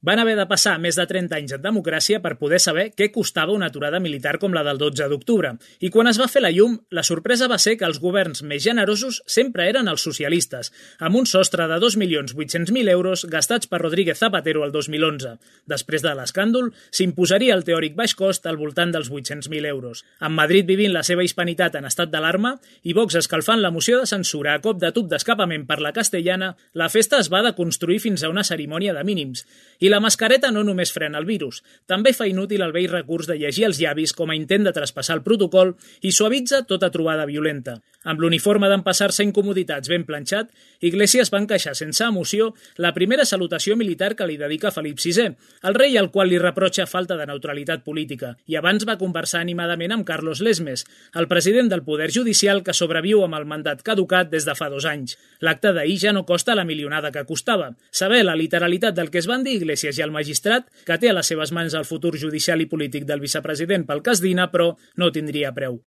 Van haver de passar més de 30 anys en democràcia per poder saber què costava una aturada militar com la del 12 d'octubre. I quan es va fer la llum, la sorpresa va ser que els governs més generosos sempre eren els socialistes, amb un sostre de 2.800.000 euros gastats per Rodríguez Zapatero el 2011. Després de l'escàndol, s'imposaria el teòric baix cost al voltant dels 800.000 euros. Amb Madrid vivint la seva hispanitat en estat d'alarma i Vox escalfant la moció de censura a cop de tub d'escapament per la castellana, la festa es va deconstruir fins a una cerimònia de mínims. I la mascareta no només frena el virus, també fa inútil el vell recurs de llegir els llavis com a intent de traspassar el protocol i suavitza tota trobada violenta. Amb l'uniforme d'empassar-se incomoditats ben planxat, Iglesias va encaixar sense emoció la primera salutació militar que li dedica Felip VI, el rei al qual li reprotxa falta de neutralitat política, i abans va conversar animadament amb Carlos Lesmes, el president del Poder Judicial que sobreviu amb el mandat caducat des de fa 2 anys. L'acte d'ahir ja no costa la milionada que costava. Saber la literalitat del que es van dir Iglesias i el magistrat, que té a les seves mans el futur judicial i polític del vicepresident pel cas Dina, però no tindria preu.